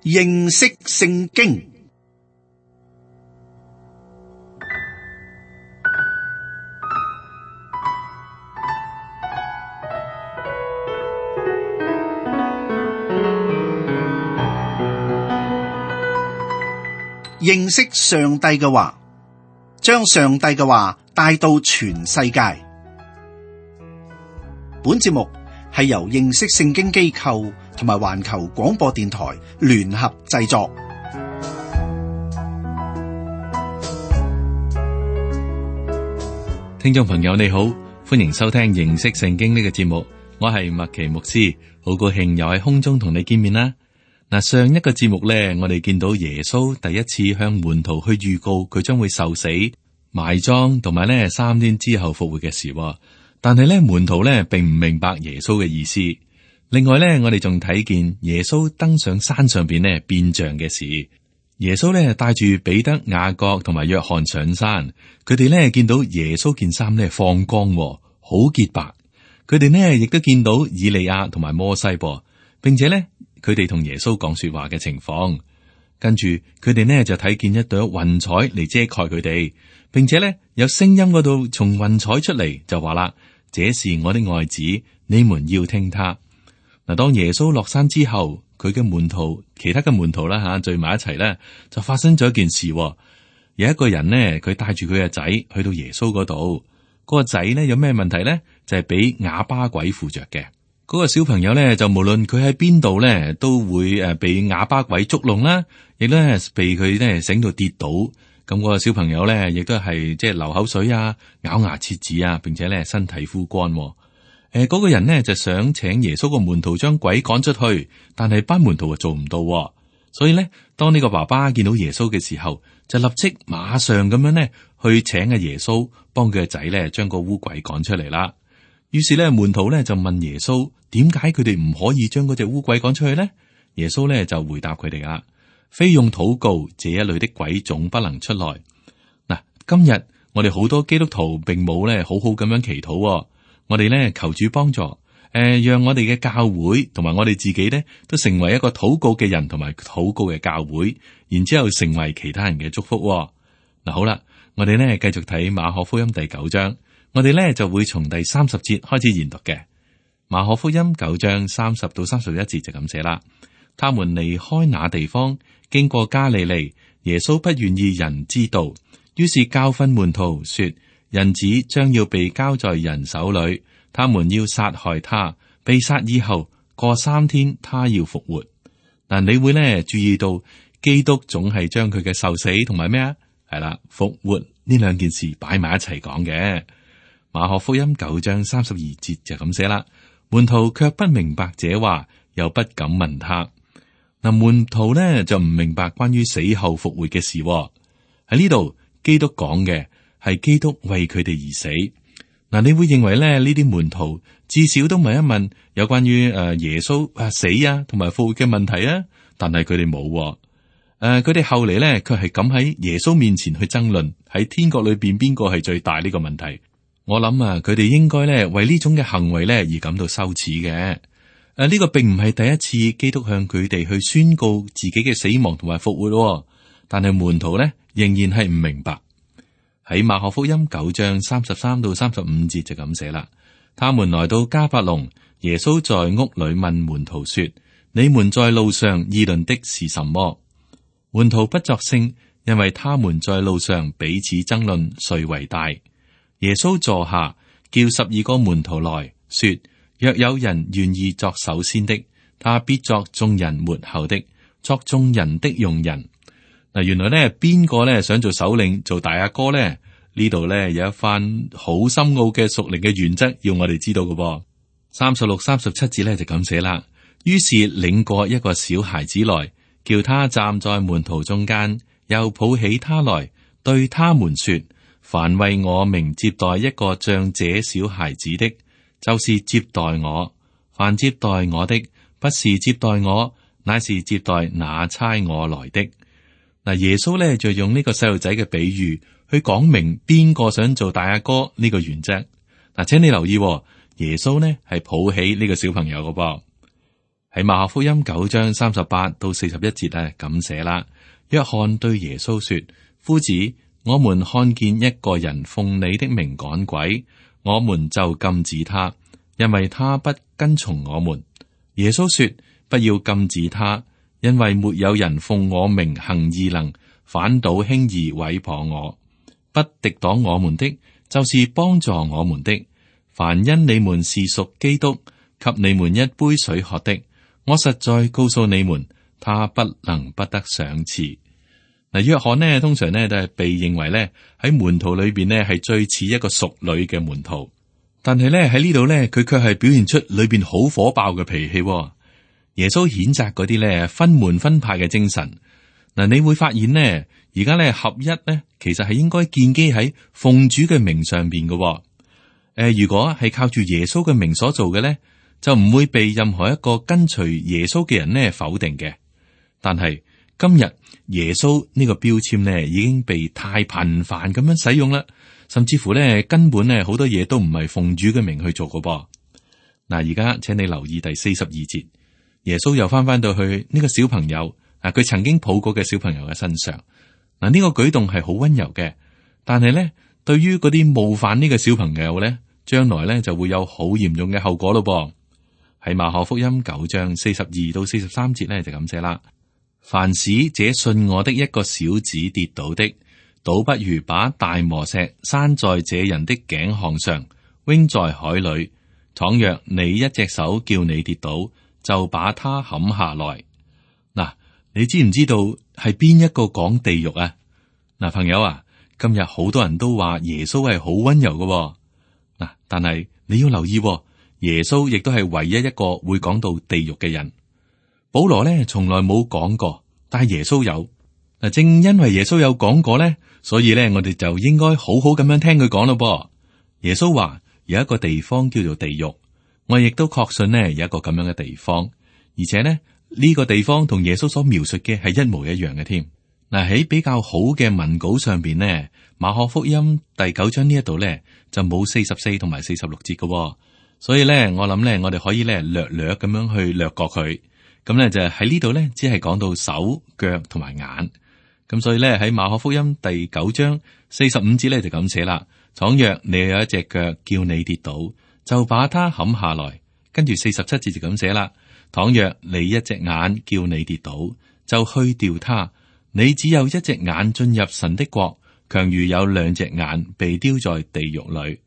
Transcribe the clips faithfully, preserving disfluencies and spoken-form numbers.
認識聖經。認識上帝嘅話，將上帝嘅話帶到全世界。本節目係由認識聖經機構同埋環球廣播電台聯合製作。聽眾朋友你好，歡迎收聽認識聖經呢個節目，我係麥奇牧師，好高興又喺空中同你見面啦。嗱，上一個節目咧，我哋見到耶穌第一次向門徒去預告佢將會受死、埋葬同埋咧三天之後復活嘅事。但係咧門徒咧並唔明白耶穌嘅意思。另外咧，我哋仲睇見耶穌登上山上邊咧變像嘅事。耶穌咧帶住彼得、雅各同埋約翰上山，佢哋咧見到耶穌件衫咧放光，好潔白。佢哋呢亦都見到以利亞同埋摩西噃，並且咧。佢哋同耶穌講說話嘅情況，跟住佢哋呢就睇見一朵雲彩嚟遮蓋佢哋，並且呢有聲音嗰度從雲彩出嚟就話啦：這是我的愛子，你們要聽他。嗱，當耶穌落山之後，佢嘅門徒、其他嘅門徒啦吓聚埋一齊呢，就發生咗一件事。有一個人呢，佢帶住佢嘅仔去到耶穌嗰度，嗰個仔呢有咩問題呢？就係俾啞巴鬼附着嘅。嗰個小朋友咧，就無論佢喺邊度咧，都會誒被啞巴鬼捉弄啦，亦都係被佢咧醒到跌倒。咁、那、嗰個小朋友咧，亦都係即係流口水啊、咬牙切齒啊，並且咧身體枯乾。誒、呃，嗰、那個人呢，就想請耶穌個門徒將鬼趕出去，但係班門徒就做唔到。所以咧，當呢個爸爸見到耶穌嘅時候，就立即馬上咁樣咧去請阿耶穌幫佢個仔咧將個污鬼趕出嚟啦。於是咧，門徒咧就問耶穌，點解佢哋唔可以將嗰隻污鬼趕出去呢？耶穌咧就回答佢哋啦：非用禱告，這一類的鬼總不能出來。嗱，今日我哋好多基督徒並冇咧好好咁樣祈禱，我哋咧求主幫助，誒、呃，讓我哋嘅教會同埋我哋自己咧都成為一個禱告嘅人，同埋禱告嘅教會，然之後成為其他人嘅祝福。嗱，好啦，我哋咧繼續睇馬可福音第九章。我哋咧就會從第三十節開始研讀嘅。馬可福音九章三十到三十一節就咁寫啦。他們離開那地方，經過加利利，耶穌不願意人知道，於是教訓門徒說：人子將要被交在人手裏，他們要殺害他，被殺以後過三天，他要復活。嗱，你會咧注意到基督總係將佢嘅受死同埋咩啊？係啦，復活呢兩件事擺埋一齊講嘅。馬可福音九章三十二節就咁寫啦，門徒卻不明白這話，又不敢問他。嗱，門徒呢就唔明白關於死後復活嘅事。喺呢度，基督講嘅係基督為佢哋而死。嗱，你會認為咧呢啲門徒至少都問一問有關於誒耶穌啊死啊同埋復活嘅問題啊，但係佢哋冇。誒，佢哋後嚟咧卻係咁喺耶穌面前去爭論喺天國裏邊邊個係最大呢個問題。我諗啊，佢哋應該咧為呢種嘅行為咧而感到羞恥嘅。誒、啊，呢、這個並唔係第一次基督向佢哋去宣告自己嘅死亡同埋復活，但係門徒咧仍然係唔明白。喺馬可福音九章三十三到三十五節就咁寫啦。他們來到迦百農，耶穌在屋裏問門徒說：你們在路上議論的是什麼？門徒不作聲，因為他們在路上彼此爭論誰為大。耶穌坐下，叫十二個門徒來說：若有人願意作首先的，他必作眾人末後的，作眾人的用人。嗱，原來咧邊個咧想做首領、做大阿哥咧？呢度咧有一番好深奧嘅屬靈嘅原則，要我哋知道嘅噃。三十六、三十七節咧就咁寫啦。於是領過一個小孩子來，叫他站在門徒中間，又抱起他來，對他們說：凡為我名接待一個像這小孩子的，就是接待我；凡接待我的，不是接待我，乃是接待那差我來的。嗱，耶穌咧就用呢個細路仔嘅比喻去講明邊個想做大阿哥呢個原則。嗱，請你留意，耶穌呢係抱起呢個小朋友嘅噃。喺馬可福音九章三十八到四十一節咧咁寫啦。約翰對耶穌說：夫子，我們看見一個人奉你的名趕鬼，我們就禁止他，因為他不跟從我們。耶穌說：不要禁止他，因為沒有人奉我名行異能，反倒輕易毀謗我。不敵擋我們的，就是幫助我們的。凡因你們是屬基督，給你們一杯水喝的，我實在告訴你們，他不能不得賞賜。嗱，約翰呢，通常呢都係被認為呢喺門徒裏邊呢係最似一個淑女嘅門徒，但係呢喺呢度呢，佢卻係表現出裏邊好火爆嘅脾氣。耶穌譴責嗰啲呢分門分派嘅精神。嗱，你會發現呢，而家呢合一呢，其實係應該建基喺奉主嘅名上邊嘅。誒、呃，如果係靠住耶穌嘅名所做嘅呢，就唔會被任何一個跟隨耶穌嘅人呢否定嘅。但係今日耶穌呢個標籤呢已經被太頻繁咁樣使用啦，甚至乎呢根本呢好多嘢都唔係奉主嘅名去做嘅噃。嗱，而家請你留意第四十二節，耶穌又翻翻到去呢個小朋友啊，佢曾經抱過嘅小朋友嘅身上。嗱，呢個舉動係好溫柔嘅，但係呢對於嗰啲冒犯呢個小朋友呢，將來呢就會有好嚴重嘅後果咯噃。喺馬可福音九章四十二到四十三節呢，就咁寫啦。凡使這信我的一個小子跌倒的，倒不如把大磨石拴在這人的頸項上，扔在海裏。倘若你一隻手叫你跌倒，就把他砍下來。嗱，你知唔知道係邊一個講地獄啊？嗱，朋友啊，今日好多人都話耶穌係好溫柔嘅。嗱，但係你要留意，耶穌亦都係唯一一個會講到地獄嘅人。保羅咧從來冇講過，但係耶穌有。嗱，正因為耶穌有講過咧，所以咧我哋就應該好好咁樣聽佢講咯噃。耶穌話有一個地方叫做地獄，我亦都確信呢有一個咁樣嘅地方，而且呢呢個地方同耶穌所描述嘅係一模一樣嘅添。嗱，喺比較好嘅文稿上邊呢，馬可福音第九章呢一度咧就冇四十四同埋四十六節嘅，所以咧我諗咧我哋可以咧略略咁樣去略過佢。咁咧就喺呢度咧，只係講到手腳同埋眼。咁所以咧喺馬可福音第九章四十五節咧就咁寫啦。倘若你有一隻腳叫你跌倒，就把它砍下來。跟住四十七節就咁寫啦。倘若你一隻眼叫你跌倒，就去掉它。你只有一隻眼進入神的國，強如有兩隻眼被丟在地獄裏。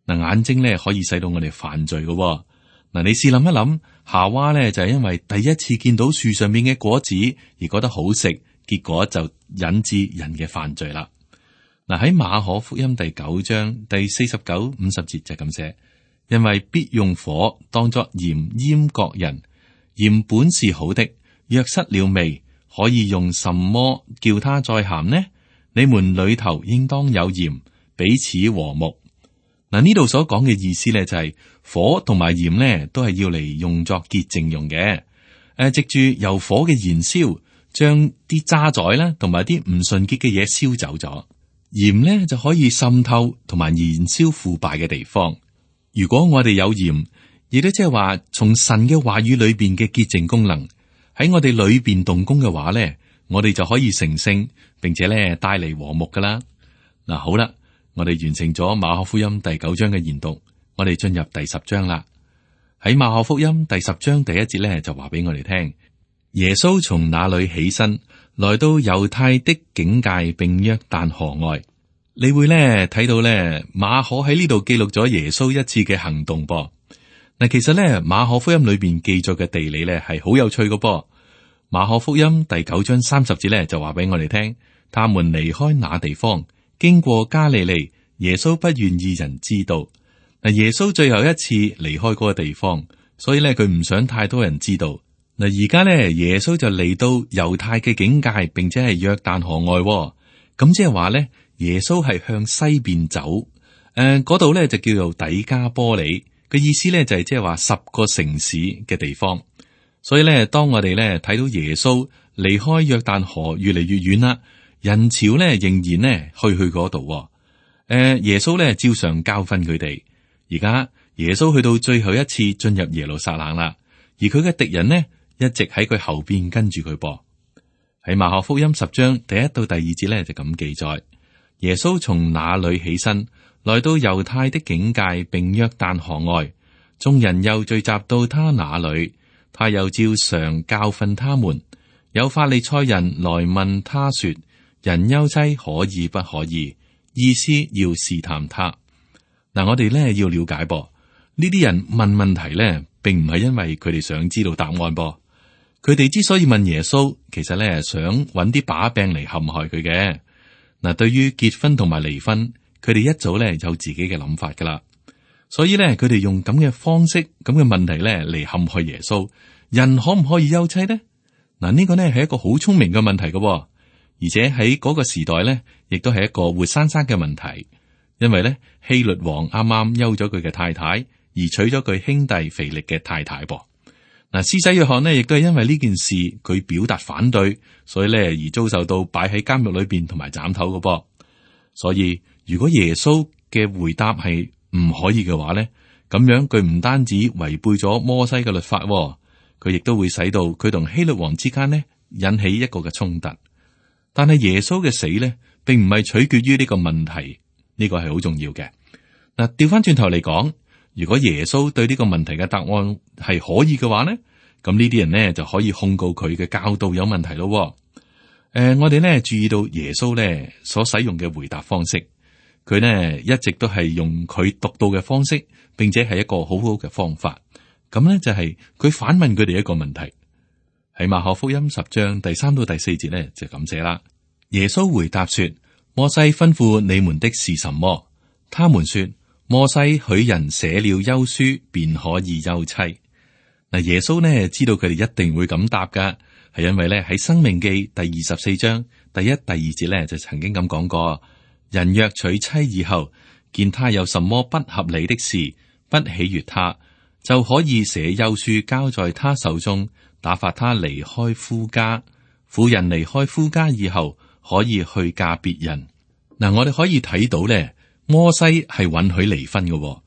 嗱，眼睛咧可以使到我哋犯罪嘅。嗱，你試諗一諗，夏娃咧就係因為第一次見到樹上面嘅果子而覺得好食，結果就引致人嘅犯罪啦。嗱，喺馬可福音第九章第四十九、五十節就咁寫，因為必用火當作鹽醃各人，鹽本是好的，若失了味，可以用什麼叫它再鹹呢？你們裏頭應當有鹽，彼此和睦。嗱，呢度所講嘅意思咧就係火同埋鹽咧都係要嚟用作潔淨用嘅。誒，藉住由火嘅燃燒，將啲渣滓啦同埋啲唔純潔嘅嘢燒走咗。鹽咧就可以滲透同埋燃燒腐敗嘅地方。如果我哋有鹽，亦都即係話從神嘅話語裏邊嘅潔淨功能喺我哋裏邊動工嘅話咧，我哋就可以成聖，並且咧帶嚟和睦噶啦。嗱，好啦。我哋完成咗馬可福音第九章嘅研讀，我哋進入第十章啦。喺馬可福音第十章第一節咧，就話俾我哋聽，耶穌從那裏起身，來到猶太的境界，並約旦河外。你會咧睇到咧馬可喺呢度記錄咗耶穌一次嘅行動噃。嗱，其實咧馬可福音裏邊記載嘅地理咧係好有趣嘅噃。馬可福音第九章三十節咧就話俾我哋聽，他們離開那地方。經過加利利，耶穌不願意人知道。嗱，耶穌最後一次離開嗰個地方，所以咧佢唔想太多人知道。嗱，而家咧耶穌就嚟到猶太嘅境界，並且係約旦河外。咁即係話咧，耶穌係向西邊走。誒、呃，嗰度咧就叫做底加波里。個意思咧就係即係話十個城市嘅地方。所以咧，當我哋咧睇到耶穌離開約旦河越嚟越遠啦。人潮咧仍然咧去去嗰度，誒、呃，耶穌咧照常教訓佢哋。而家耶穌去到最後一次進入耶路撒冷啦，而佢嘅敵人呢，一直喺佢後邊跟住佢噃。喺馬可福音十章第一到第二節呢，就咁記載：耶穌從那裏起身，來到猶太的境界，並約旦河外，眾人又聚集到他那裏，他又照常教訓他們。有法利賽人來問他說：人休妻可以不可以？意思要試探他。嗱，我哋咧要了解噃，呢啲人問問題咧，並唔係因為佢哋想知道答案噃。佢哋之所以問耶穌，其實咧想揾啲把柄嚟陷害佢嘅。嗱，對於結婚同埋離婚，佢哋一早咧有自己嘅諗法噶啦。所以咧，佢哋用咁嘅方式、咁嘅問題咧嚟陷害耶穌。人可唔可以休妻呢？嗱，呢個呢係一個好聰明嘅問題噶，而且喺嗰個時代咧，亦都係一個活生生嘅問題。因為咧，希律王啱啱休咗佢嘅太太，而娶咗佢兄弟腓力嘅太太噃。嗱，施洗約翰呢，亦都係因為呢件事佢表達反對，所以咧而遭受到擺喺監獄裏邊同埋斬頭嘅噃。所以如果耶穌嘅回答係唔可以嘅話咧，咁樣佢唔單止違背咗摩西嘅律法，佢亦都會使到佢同希律王之間呢引起一個嘅衝突。但係耶穌嘅死咧，並唔係取決於呢個問題。呢個係好重要嘅。嗱，調翻轉頭嚟講，如果耶穌對呢個問題嘅答案係可以嘅話呢，咁呢啲人呢就可以控告佢嘅教導有問題咯。誒、呃，我哋呢注意到耶穌呢所使用嘅回答方式，佢呢一直都係用佢獨到嘅方式，並且係一個好好嘅方法。咁呢就係佢反問佢哋一個問題，喺馬可福音十章第三到第四節呢就咁寫啦。耶穌回答說：摩西吩咐你們的是什麼？他們說：摩西許人寫了休書，便可以休妻。嗱，耶穌呢知道佢哋一定會咁答噶，係因為咧喺《申命記》第二十四章第一、第二節咧就曾經咁講過：人若娶妻以後，見他有什麼不合理的事，不喜悅他，就可以寫休書交在他手中，打發他離開夫家。婦人離開夫家以後，可以去嫁別人。嗱，我哋可以睇到咧，摩西係允許離婚嘅。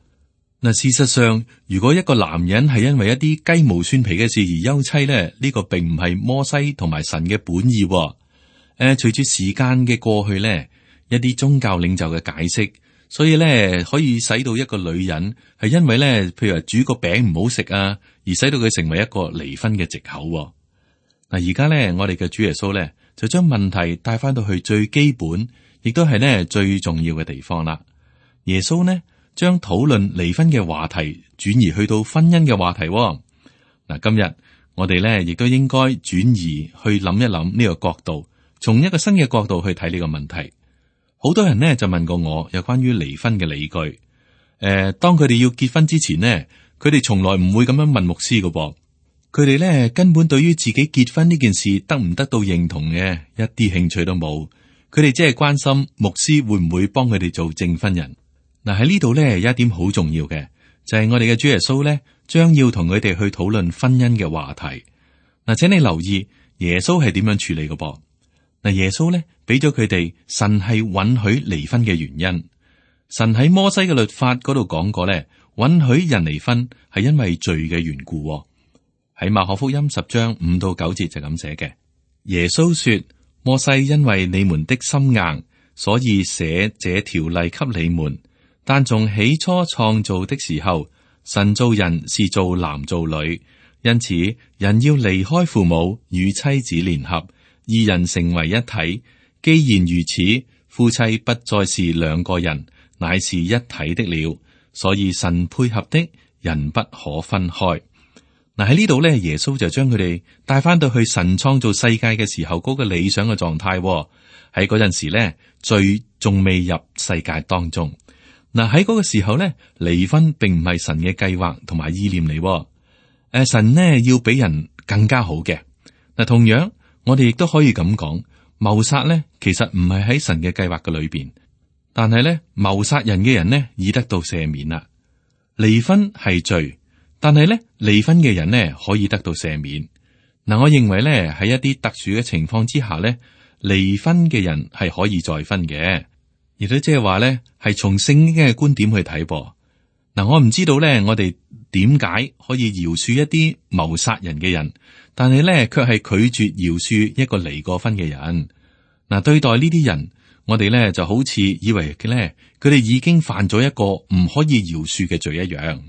嗱，事實上，如果一個男人係因為一啲雞毛蒜皮嘅事而休妻咧，呢個並唔係摩西同埋神嘅本意。誒，隨住時間嘅過去咧，一啲宗教領袖嘅解釋，所以咧可以使到一個女人係因為咧，譬如話煮個餅唔好食啊，而使到佢成為一個離婚嘅藉口。嗱，而家咧，我哋嘅主耶穌咧，就將問題帶翻到去最基本，亦都係呢最重要嘅地方啦。耶穌呢將討論離婚嘅話題轉移去到婚姻嘅話題。嗱，今日我哋呢亦都應該轉移去諗一諗呢個角度，從一個新嘅角度去睇呢個問題。好多人呢就問過我有關於離婚嘅理據。誒、呃，當佢哋要結婚之前呢，佢哋從來唔會咁樣問牧師㗎噃。佢哋咧根本對於自己結婚呢件事得唔得到認同嘅一啲興趣都冇，佢哋只係關心牧師會唔會幫佢哋做證婚人。嗱，喺呢度咧有一點好重要嘅，就係我哋嘅主耶穌咧將要同佢哋去討論婚姻嘅話題。嗱，請你留意耶穌係點樣處理嘅噃。嗱，耶穌咧俾咗佢哋神係允許離婚嘅原因。神喺摩西嘅律法嗰度講過咧，允許人離婚係因為罪嘅緣故。喺馬可福音十章五到九節就咁寫嘅。耶穌說：摩西因為你們的心硬，所以寫這條例給你們。但從起初創造的時候，神造人是造男造女，因此人要離開父母與妻子聯合，二人成為一體。既然如此，夫妻不再是兩個人，乃是一體的了。所以神配合的，人不可分開。嗱，喺呢度咧，耶穌就將佢哋帶翻到去神創造世界嘅時候嗰個理想嘅狀態。喺嗰陣時咧，罪仲未入世界當中。嗱，喺嗰個時候咧，離婚並唔係神嘅計劃同埋意念嚟。誒，神呢要俾人更加好嘅。嗱，同樣我哋亦都可以咁講，謀殺咧其實唔係喺神嘅計劃嘅裏邊，但係咧謀殺人嘅人呢已得到赦免啦。離婚係罪。但係咧，離婚嘅人呢可以得到赦免。嗱，我認為咧喺一啲特殊嘅情況之下咧，離婚嘅人係可以再婚嘅，亦都即係話咧係從聖經嘅觀點去睇噃。嗱，我唔知道咧，我哋點解可以饒恕一啲謀殺人嘅人，但係咧卻係拒絕饒恕一個離過婚嘅人？嗱，對待呢啲人，我哋咧就好似以為嘅咧，佢哋已經犯咗一個唔可以饒恕嘅罪一樣。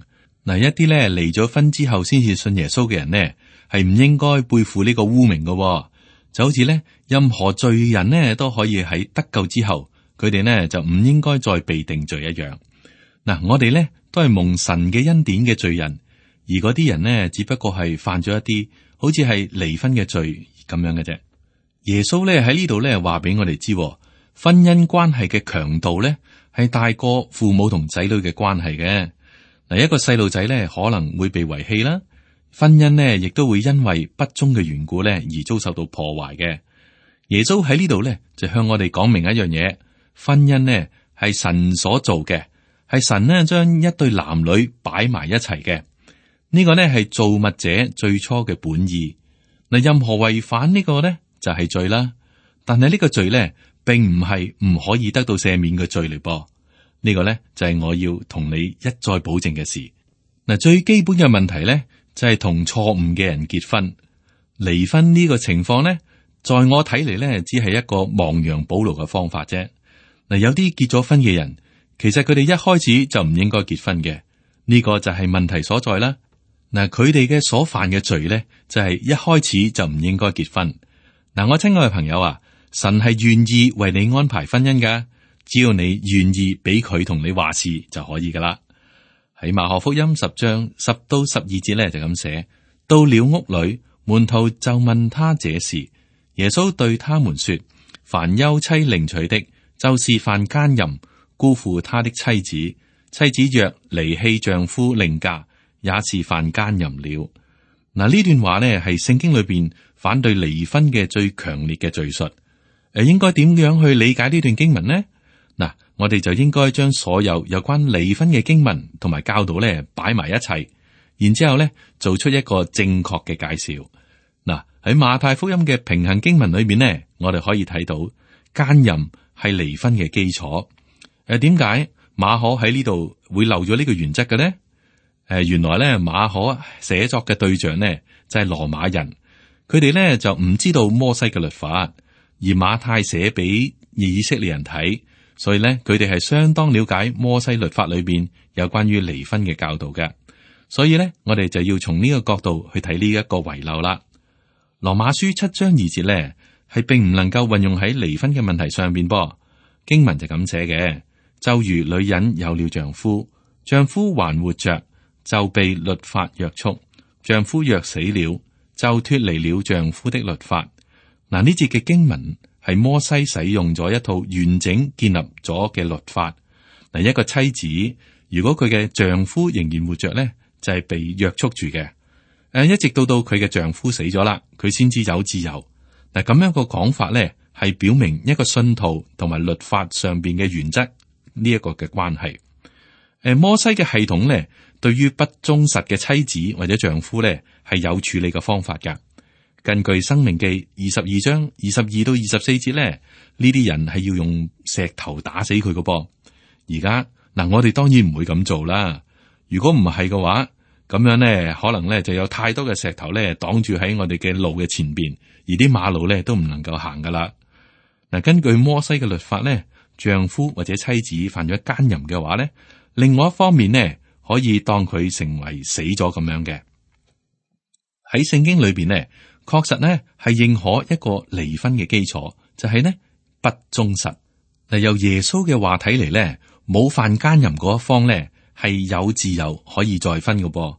嗱，一啲咧離咗婚之後先至信耶穌嘅人呢，係唔應該背負呢個污名嘅。就好似咧，任何罪人呢都可以喺得救之後，佢哋呢就唔應該再被定罪一樣。嗱，我哋咧都係蒙神嘅恩典嘅罪人，而嗰啲人呢，只不過係犯咗一啲好似係離婚嘅罪咁樣嘅啫。耶穌咧喺呢度咧話俾我哋知，婚姻關係嘅強度咧係大過父母同仔女嘅關係嘅。嗱，一個細路仔咧可能會被遺棄啦，婚姻呢亦都會因為不忠嘅緣故咧而遭受到破壞嘅。耶穌喺呢度咧就向我哋講明一樣嘢，婚姻呢係神所做嘅。係神呢將一對男女擺埋一齊嘅，呢個呢係造物者最初嘅本意。嗱，任何違反呢個呢就係罪啦。但係呢個罪呢並唔係唔可以得到赦免嘅罪嚟噃。呢個呢就係我要同你一再保證嘅事。嗱，最基本嘅問題呢就係同錯誤嘅人結婚。離婚呢個情況呢，在我睇嚟呢只係一個亡羊補牢嘅方法啫。嗱，有啲結咗婚嘅人，其實佢哋一開始就唔應該結婚嘅，呢個就係問題所在啦。嗱，佢哋嘅所犯嘅罪咧，就係一開始就唔應該結婚。嗱，我親愛嘅朋友啊，神係願意為你安排婚姻噶，只要你願意俾佢同你話事就可以噶啦。喺馬可福音十章十到十二節咧就咁寫，到了屋裏，門徒就問他這事，耶穌對他們說：凡休妻另娶的，就是犯奸淫。辜負他的妻子，妻子若離棄丈夫另嫁，也是犯奸淫了。嗱，呢段話呢係聖經裏邊反對離婚嘅最強烈嘅敘述。誒，應該點樣去理解呢段經文呢？嗱，我哋就應該將所有有關離婚嘅經文同埋教導咧擺埋一齊，然之後咧做出一個正確嘅介紹。嗱，喺馬太福音嘅平衡經文裏面呢，我哋可以睇到奸淫係離婚嘅基礎。誒，點解馬可喺呢度會漏咗呢個原則嘅呢？誒、呃，原來咧馬可寫作嘅對象呢就係、是、羅馬人，佢哋咧就唔知道摩西嘅律法，而馬太寫俾以色列人睇，所以咧佢哋係相當了解摩西律法裏邊有關於離婚嘅教導嘅。所以咧，我哋就要從呢個角度去睇呢一個遺漏啦。羅馬書七章二節咧係並唔能夠運用喺離婚嘅問題上邊噃，經文就咁寫嘅。就如女人有了丈夫，丈夫還活着，就被律法約束；丈夫若死了，就脫離了丈夫的律法。嗱，呢節嘅經文係摩西使用咗一套完整建立咗嘅律法。嗱，一個妻子如果佢嘅丈夫仍然活着咧，就係被約束住嘅。誒，一直到到佢嘅丈夫死咗啦，佢先至有自由。嗱，咁樣個講法咧，係表明一個信徒同埋律法上邊嘅原則。呢一個嘅關係，誒，摩西嘅系統咧，對於不忠實嘅妻子或者丈夫咧，係有處理嘅方法噶。根據《申命記》二十二章二十二到二十四節咧，呢啲人係要用石頭打死佢嘅噃。而家嗱，我哋當然唔會咁做啦。如果唔係嘅話，咁樣咧，可能咧就有太多嘅石頭咧擋住喺我哋嘅路嘅前邊，而啲馬路咧都唔能夠行噶啦。嗱，根據摩西嘅律法咧，丈夫或者妻子犯咗奸淫嘅話咧，另外一方面呢，可以當佢成為死咗咁樣嘅。喺聖經裏邊呢，確實呢係認可一個離婚嘅基礎，就係呢不忠實。嗱，由耶穌嘅話睇嚟咧，冇犯奸淫嗰一方咧係有自由可以再婚嘅噃。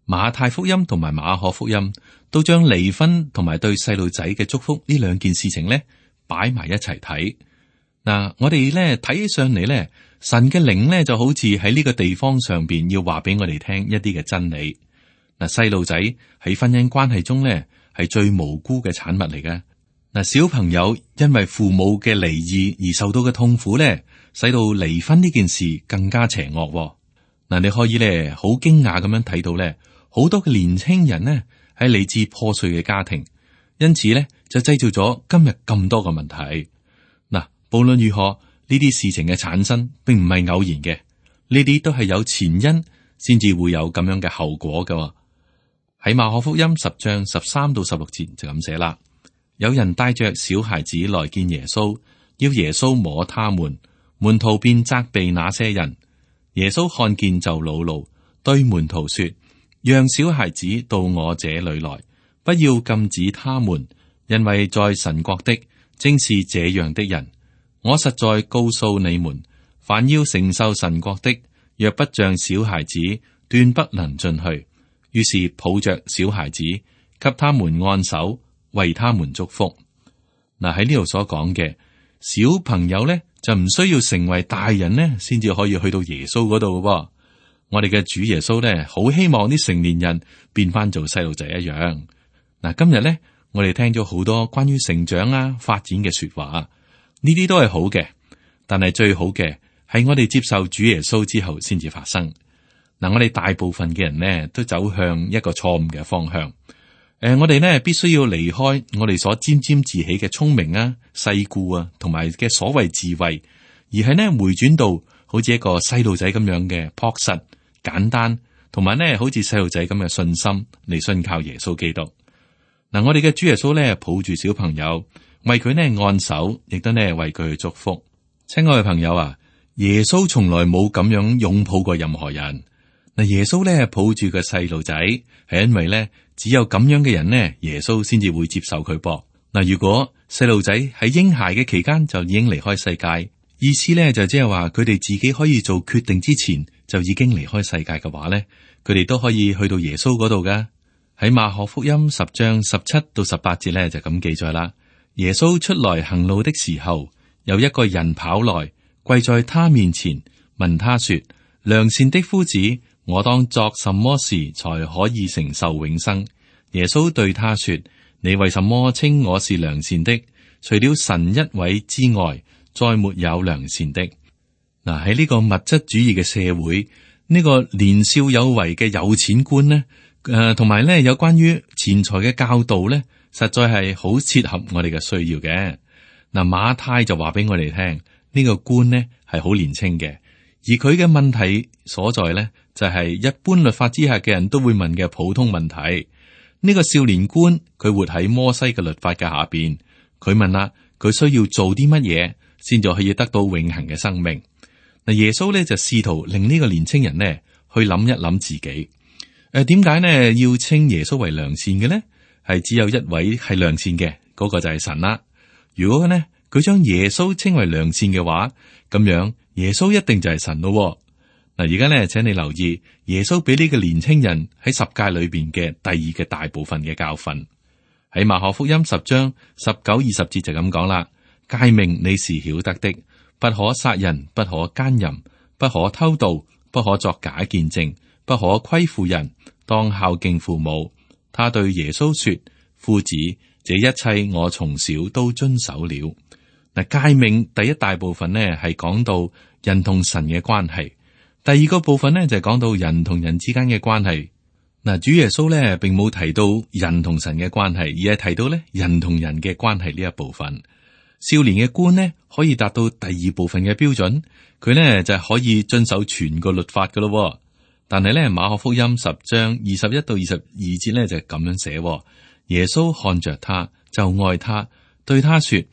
馬太福音同埋馬可福音都將離婚同埋對細路仔嘅祝福呢兩件事情咧擺埋一齊睇。嗱，我哋咧睇起上嚟咧，神嘅靈咧就好似喺呢個地方上邊要話俾我哋聽一啲嘅真理。嗱，細路仔喺婚姻關係中咧係最無辜嘅產物嚟嘅。嗱，小朋友因為父母嘅離異而受到嘅痛苦咧，使到離婚呢件事更加邪惡。嗱，你可以咧好驚訝咁樣睇到咧，好多嘅年輕人呢係嚟自破碎嘅家庭，因此咧就製造咗今日咁多嘅問題。無論如何，呢啲事情嘅產生並唔係偶然嘅，呢啲都係有前因，先至會有咁樣嘅後果㗎。喺馬可福音十章十三到十六節就咁寫啦。有人帶着小孩子來見耶穌，要耶穌摸他們，門徒便責備那些人。耶穌看見就惱怒，對門徒說：讓小孩子到我這裏來，不要禁止他們，因為在神國的正是這樣的人。我實在告訴你們，凡要承受神國的，若不像小孩子，斷不能進去。於是抱着小孩子，給他們按手，為他們祝福。嗱，喺呢度所講嘅小朋友咧，就唔需要成為大人咧，先至可以去到耶穌嗰度嘅。我哋嘅主耶穌咧，好希望啲成年人變翻做細路仔一樣。嗱，今日咧，我哋聽咗好多關於成長啊、發展嘅說話，呢啲都係好嘅，但係最好嘅係我哋接受主耶穌之後先至發生。嗱，我哋大部分嘅人呢，都走向一個錯誤嘅方向。誒、呃，我哋呢，必須要離開我哋所沾沾自喜嘅聰明啊、世故啊，同埋嘅所謂智慧，而係呢，回轉到好似一個細路仔咁樣嘅樸實、簡單，同埋呢，好似細路仔咁嘅信心嚟信靠耶穌基督。嗱、呃，我哋嘅主耶穌呢，抱住小朋友，為佢呢按手，亦都呢為佢去祝福。親愛嘅朋友啊，耶穌從來冇咁樣擁抱過任何人。嗱，耶穌咧抱住個細路仔，係因為咧只有咁樣嘅人呢，耶穌先至會接受佢噃。嗱，如果細路仔喺嬰孩嘅期間就已經離開世界，意思咧就即係話佢哋自己可以做決定之前就已經離開世界嘅話咧，佢哋都可以去到耶穌嗰度噶。喺馬可福音十章十七到十八節咧就咁記載啦。耶穌出來行路的時候，有一個人跑來跪在他面前，問他說：良善的夫子，我當作什麼事才可以承受永生？耶穌對他說：你為什麼稱我是良善的？除了神一位之外，再沒有良善的。嗱，喺呢個物質主義嘅社會，呢、這個年少有為嘅有錢觀呢，誒、呃，同埋咧有關於錢財嘅教導咧，實在係好切合我哋嘅需要嘅。嗱，馬太就話俾我哋聽，呢、這個官呢係好年輕嘅，而佢嘅問題所在咧。就係一般律法之下嘅人都會問嘅普通問題。呢個少年官佢活喺摩西嘅律法嘅下邊，佢問啦，佢需要做啲乜嘢先至可以得到永恆嘅生命？嗱，耶穌咧就試圖令呢個年青人呢去諗一諗自己。誒，點解呢要稱耶穌為良善嘅呢？係只有一位係良善嘅，嗰個就係神啦。如果呢佢將耶穌稱為良善嘅話，咁樣耶穌一定就係神咯。嗱，而家咧，請你留意耶穌俾呢個年青人喺十誡裏邊嘅第二嘅大部分嘅教訓。喺馬可福音十章十九二十節就咁講啦。誡命你是曉得的，不可殺人，不可奸淫，不可偷盜，不可作假見證，不可虧負人，當孝敬父母。他對耶穌說：夫子，這一切我從小都遵守了。嗱，誡命第一大部分呢係講到人同神嘅關係。第二個部分呢，就係講到人同人之間嘅關係。嗱，主耶穌咧並冇提到人同神嘅關係，而係提到咧人同人嘅關係呢一部分。少年嘅官呢，可以達到第二部分嘅標準，佢呢就係可以遵守全個律法噶咯。但係咧馬可福音十章二十一到二十二節咧就係咁樣寫：耶穌看着他就愛他，對他說：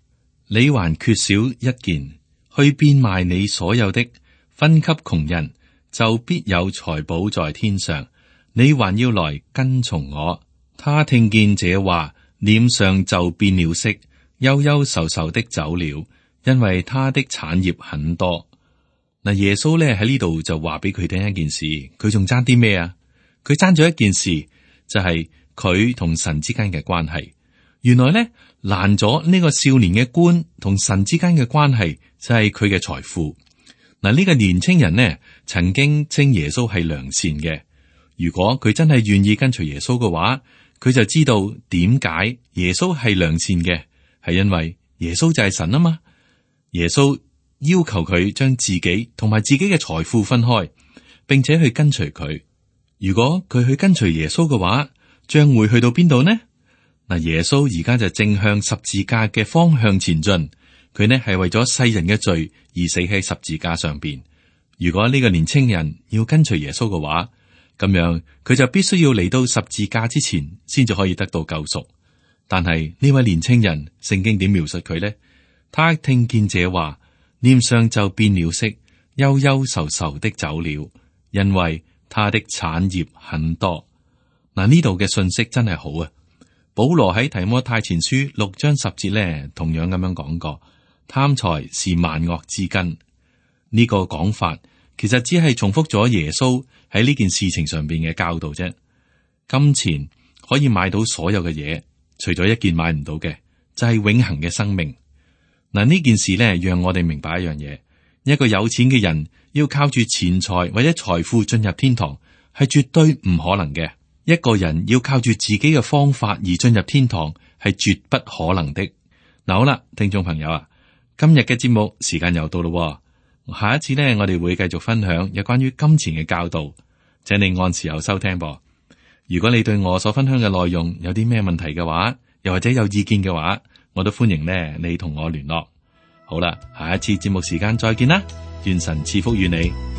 你還缺少一件，去變賣你所有的，分給窮人，就必有財寶在天上。你還要來跟從我。他聽見這話，臉上就變了色，憂憂愁愁的走了，因為他的產業很多。嗱，耶穌咧喺呢度就話俾佢聽一件事，佢仲爭啲咩啊？佢爭咗一件事，就係佢同神之間嘅關係。原來咧攔咗呢個少年嘅官同神之間嘅關係，就係佢嘅財富。嗱，呢個年青人呢，曾經稱耶穌係良善嘅。如果佢真係願意跟隨耶穌嘅話，佢就知道點解耶穌係良善嘅，係因為耶穌就係神啊嘛。耶穌要求佢將自己同埋自己嘅財富分開，並且去跟隨佢。如果佢去跟隨耶穌嘅話，將會去到邊度呢？嗱，耶穌而家就正向十字架嘅方向前進。佢呢係為咗世人嘅罪而死喺十字架上邊。如果呢個年青人要跟隨耶穌嘅話，咁樣佢就必須要嚟到十字架之前，先至可以得到救贖。但係呢位年青人，聖經點描述佢呢？他聽見這話，臉上就變了色，憂憂愁愁的走了，因為他的產業很多。嗱，呢度嘅信息真係好啊！保羅喺提摩太前書六章十節呢，同樣咁樣講過，貪財是萬惡之根。呢個講法其實只係重複咗耶穌喺呢件事情上邊嘅教導啫。金錢可以買到所有嘅嘢，除咗一件買唔到嘅，就係永恆嘅生命。嗱，呢件事呢，讓我哋明白一樣嘢：一個有錢嘅人要靠住錢財或者財富進入天堂，係絕對唔可能嘅。一個人要靠住自己嘅方法而進入天堂，係絕不可能的。嗱，好啦，聽眾朋友啊，今日嘅節目時間又到咯。下一次呢，我哋會繼續分享有關於金錢嘅教導，請你按時候收聽噃。如果你對我所分享嘅內容有啲咩問題嘅話，又或者有意見嘅話，我都歡迎呢你同我聯絡。好啦，下一次節目時間再見啦，願神賜福於你。